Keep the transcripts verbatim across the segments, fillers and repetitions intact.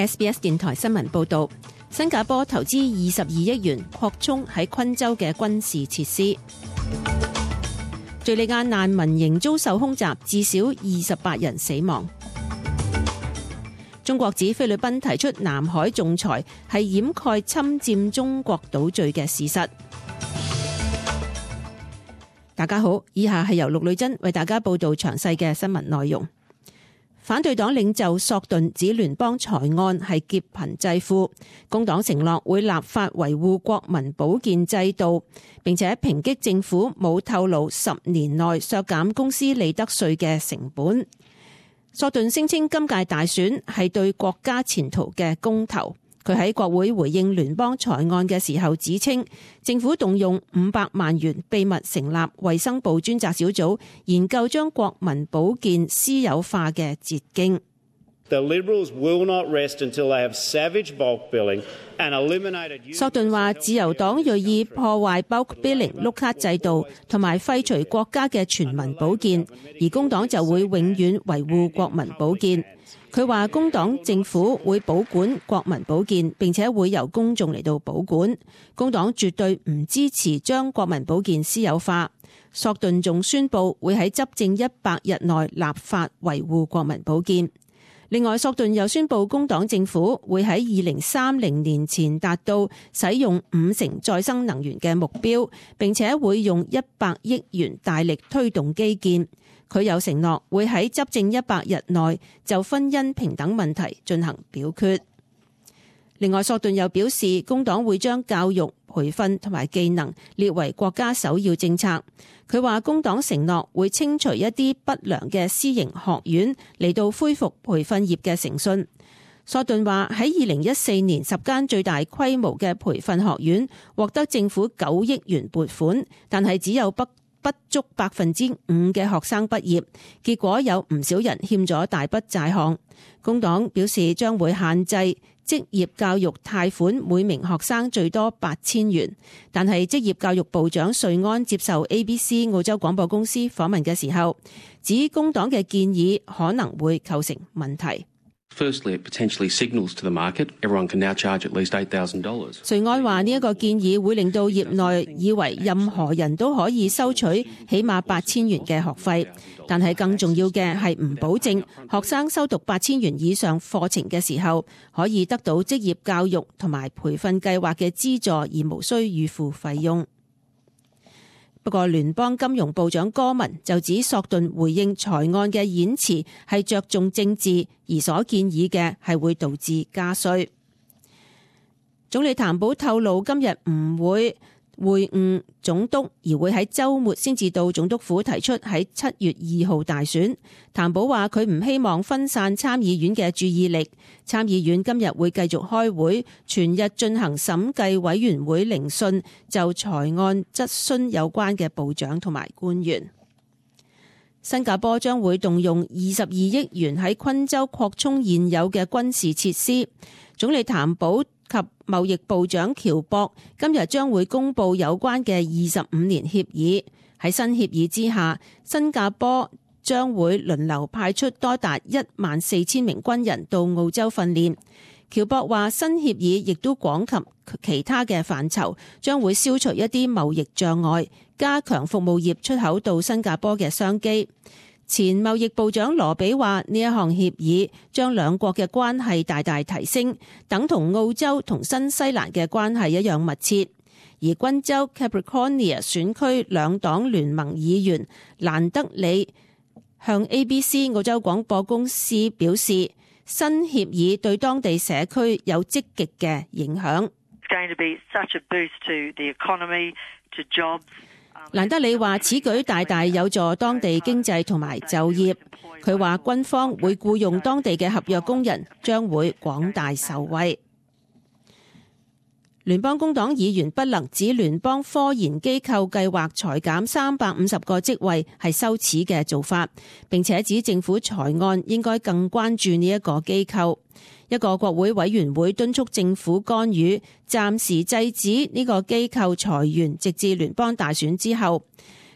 S B S 電台新聞報道，新加坡投資二十二億元擴充喺昆州嘅軍事設施。敘利亞難民營遭受空襲，至少二十八人死亡。中國指菲律賓提出南海仲裁係掩蓋侵佔中國島嶼嘅事實。大家好，以下係由陸女珍為大家報道詳細嘅新聞內容。反對黨領袖索頓指聯邦財案係劫貧濟富，工黨承諾會立法維護國民保健制度，並且抨擊政府冇透露十年內削減公司利得稅嘅成本。索頓聲稱今屆大選係對國家前途嘅公投。佢喺國會回應聯邦財案嘅時候指稱，政府動用五百萬元秘密成立衛生部專責小組，研究將國民保健私有化嘅捷徑。索頓話，自由黨銳意破壞 bulk billing 碌卡制度，同埋廢除國家嘅全民保健，而工黨就會永遠維護國民保健。佢話工黨政府會保管國民保健，並且會由公眾嚟到保管。工黨絕對唔支持將國民保健私有化。索頓仲宣布會喺執政一百日內立法維護國民保健。另外，索頓又宣布工黨政府會喺二零三零年前達到使用五成再生能源嘅目標，並且會用一百億元大力推動基建。佢有承諾會喺執政一百日內就婚姻平等問題進行表決。另外，索頓又表示，工黨會將教育、培訓同埋技能列為國家首要政策。佢話工黨承諾會清除一啲不良嘅私營學院，嚟到恢復培訓業嘅誠信。索頓話喺二零一四年十間最大規模嘅培訓學院獲得政府九億元撥款，但係只有不不足百分之五嘅學生畢業，結果有唔少人欠咗大筆債項。工黨表示將會限制職業教育貸款每名學生最多八千元，但係職業教育部長瑞安接受 A B C 澳洲廣播公司訪問嘅時候，指工黨嘅建議可能會構成問題。Firstly, it potentially signals to the market everyone can now charge at least eight thousand dollars. 瑞安話呢一個建議會令到業內以為任何人都可以收取起碼八千元嘅學費，但係更重要嘅係唔保證學生修讀八千元以上課程嘅時候可以得到職業教育同埋培訓計劃嘅資助，而無需預付費用。不過聯邦金融部長戈文就指索頓回應財案嘅演辭係着重政治，而所建議嘅係會導致加稅。總理譚寶透露今日唔會會晤總督，而會喺週末先至到總督府提出喺七月二號大選。譚寶話佢唔希望分散參議院嘅注意力。參議院今日會繼續開會，全日進行審計委員會聆訊，就財案質詢有關嘅部長同埋官員。新加坡將會動用二十二億元喺昆州擴充現有嘅軍事設施。總理譚寶及貿易部長喬博今日將會公布有關嘅二十五年協議。喺新協議之下，新加坡將會輪流派出多達一萬四千名軍人到澳洲訓練。喬博話新協議亦都廣及其他嘅範疇，將會消除一啲貿易障礙，加強服務業出口到新加坡嘅商機。前貿易部長羅比話呢一項協議將兩國嘅關係大大提升，等同澳洲同新西蘭嘅關係一樣密切。而賓州 Capricornia 選區兩黨聯盟議員蘭德里向 A B C 澳洲廣播公司表示，新協議對當地社區有積極嘅影響。蘭德里話此舉大大有助當地經濟同埋就業。佢話軍方會僱用當地嘅合約工人，將會廣大受惠。聯邦工黨議員不能指聯邦科研機構計劃裁減三百五十個職位係羞恥嘅做法，並且指政府財案應該更關注呢一個機構。一個國會委員會敦促政府干預，暫時制止呢個機構裁員，直至聯邦大選之後。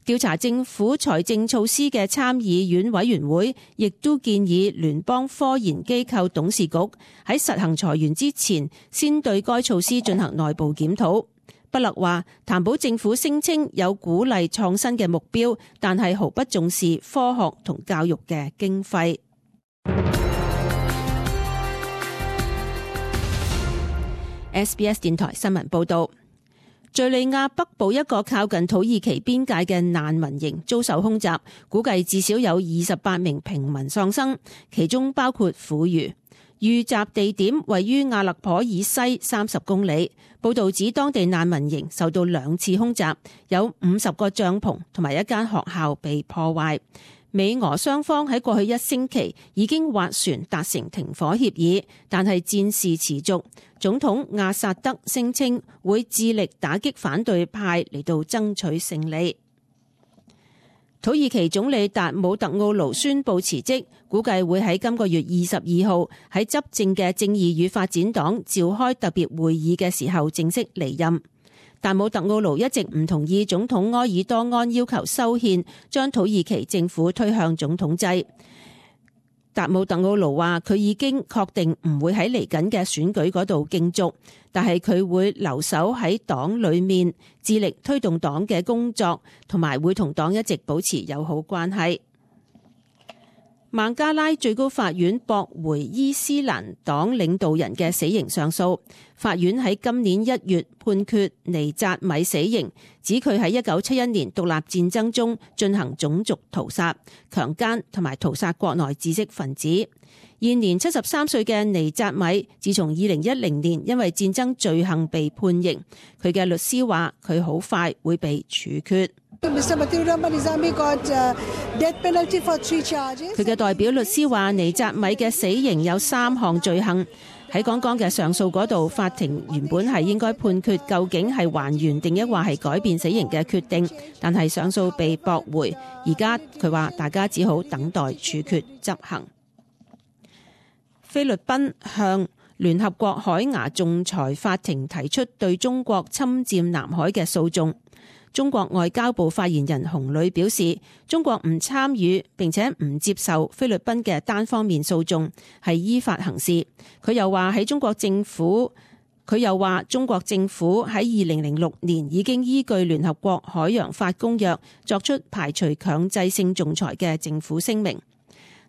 調查政府財政措施嘅參議院委員會亦都建議聯邦科研機構董事局喺實行裁員之前，先對該措施進行內部檢討。布勒話，譚寶政府聲稱有鼓勵創新嘅目標，但係毫不重視科學同教育嘅經費。S B S 電台新聞報道。敘利亞北部一個靠近土耳其邊界嘅難民營遭受空襲，估計至少有二十八名平民喪生，其中包括婦孺。遇襲地點位於阿勒頗以西三十公里。報道指當地難民營受到兩次空襲，有五十個帳篷同埋一間學校被破壞。美俄雙方喺過去一星期已經斡旋達成停火協議，但係戰事持續。總統阿薩德聲稱會致力打擊反對派嚟到爭取勝利。土耳其總理達姆特奧盧宣布辭職，估計會喺今個月二十二號喺執政嘅正義與發展黨召開特別會議嘅時候正式離任。達姆特奧盧一直唔同意總統埃爾多安要求修憲，將土耳其政府推向總統制。達姆特奧盧話佢已經確定唔會喺嚟緊嘅選舉嗰度競逐，但係佢會留守喺黨裏面，致力推動黨嘅工作，同埋會同黨一直保持友好關係。孟加拉最高法院駁回伊斯蘭黨領導人嘅死刑上訴，法院喺今年一月判決尼扎米死刑，指佢喺一九七一年獨立戰爭中進行種族屠殺、強姦同埋屠殺國內知識分子。現年七十三歲嘅尼扎米，自從二零一零年因為戰爭罪行被判刑，佢嘅律師話佢好快會被處決。佢嘅代表律師話，尼扎米嘅死刑有三項罪行。喺剛剛嘅上訴嗰度，法庭原本係應該判決究竟係還原定抑或係改變死刑嘅決定，但係上訴被駁回。而家佢話大家只好等待處決執行。菲律賓向聯合國海牙仲裁法庭提出對中國侵佔南海嘅訴訟。中國外交部發言人洪磊表示，中國唔參與並且唔接受菲律賓嘅單方面訴訟，係依法行事。佢又話喺中國政府，佢又話中國政府喺二零零六年已經依據聯合國海洋法公約作出排除強制性仲裁嘅政府聲明。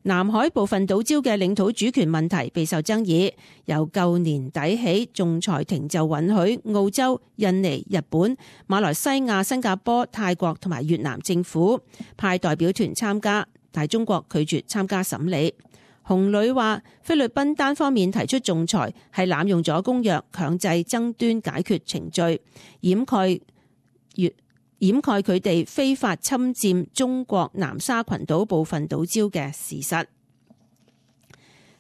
南海部分島礁嘅領土主權問題備受爭議，由舊年底起，仲裁庭就允許澳洲、印尼、日本、馬來西亞、新加坡、泰國同埋越南政府派代表團參加，但中國拒絕參加審理。洪磊話，菲律賓單方面提出仲裁係濫用咗公約，強制爭端解決程序，掩蓋越掩蓋佢哋非法侵佔中國南沙群島部分島礁嘅事實。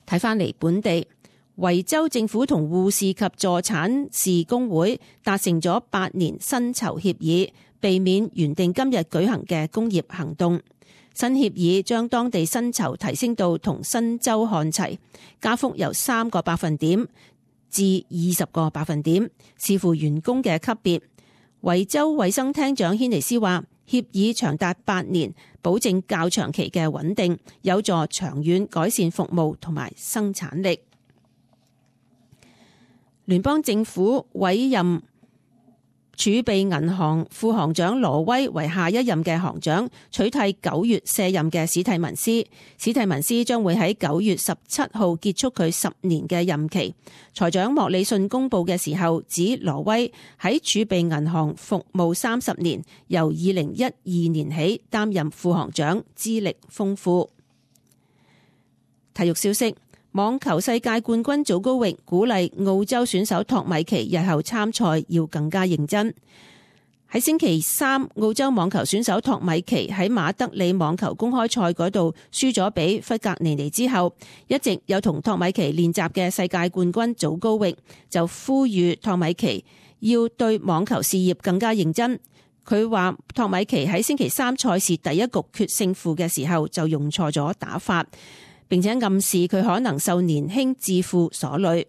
睇返嚟本地，維州政府同護士及助產士工會達成咗八年薪酬協議，避免原定今日舉行嘅工業行動。新協議將當地薪酬提升到同新州看齊，加幅由三個百分點至二十個百分點，視乎員工嘅級別。維州衛生廳長軒尼斯話，協議長達八年，保證較長期嘅穩定，有助長遠改善服務同埋生產力。聯邦政府委任儲備銀行副行長羅威為下一任嘅行長，取替九月卸任嘅史蒂文斯。史蒂文斯將會喺九月十七號結束佢十年嘅任期。財長莫里遜公布嘅時候指，羅威喺儲備銀行服務三十年，由二零一二年起擔任副行長，資歷豐富。體育消息。網球世界冠軍祖高域鼓勵澳洲選手托米奇日後參賽要更加認真。喺星期三，澳洲網球選手托米奇喺馬德里網球公開賽嗰度輸咗俾弗格尼尼之後，一直有同托米奇練習嘅世界冠軍祖高域就呼籲托米奇要對網球事業更加認真。佢話托米奇喺星期三賽事第一局決勝負嘅時候就用錯咗打法，並且暗示佢可能受年輕自負所累。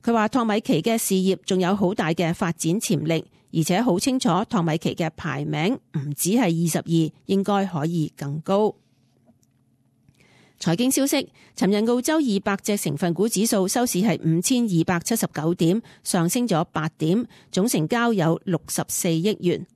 佢話托米奇嘅事業仲有好大嘅發展潛力，而且好清楚托米奇嘅排名唔止係二十二，應該可以更高。財經消息，尋日澳洲二百隻成分股指數收市係五千二百七十九點，上升咗八點，總成交有六十四億元。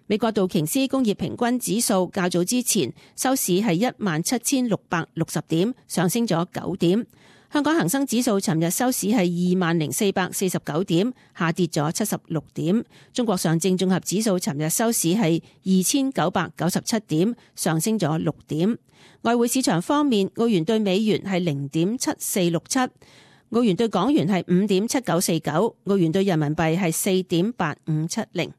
美國道瓊斯工業平均指數較早之前收市係一萬七千六百六十點，上升咗九點。香港恒生指數尋日收市係二萬零四百四十九點，下跌咗七十六點。中國上證綜合指數尋日收市係二千九百九十七點，上升咗六點。外匯市場方面，澳元對美元係零點七四六七，澳元對港元係五點七九四九，澳元對人民幣係四點八五七零。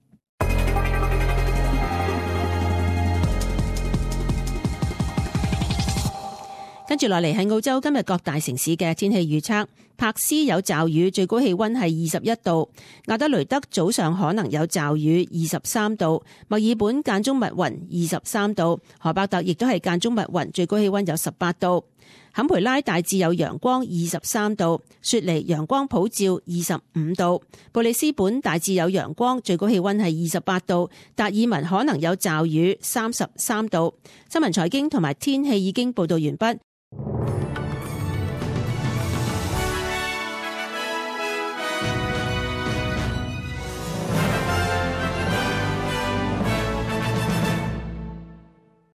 跟住落嚟係澳洲今日各大城市嘅天氣預測。柏斯有驟雨，最高氣溫係二十一度；亞德雷德早上可能有驟雨，二十三度；墨爾本間中密雲，二十三度；荷伯特亦都係間中密雲，最高氣溫有十八度；坎培拉大致有陽光，二十三度；雪梨陽光普照，二十五度；布里斯本大致有陽光，最高氣溫係二十八度；達爾文可能有驟雨，三十三度。新聞財經同埋天氣已經報道完畢，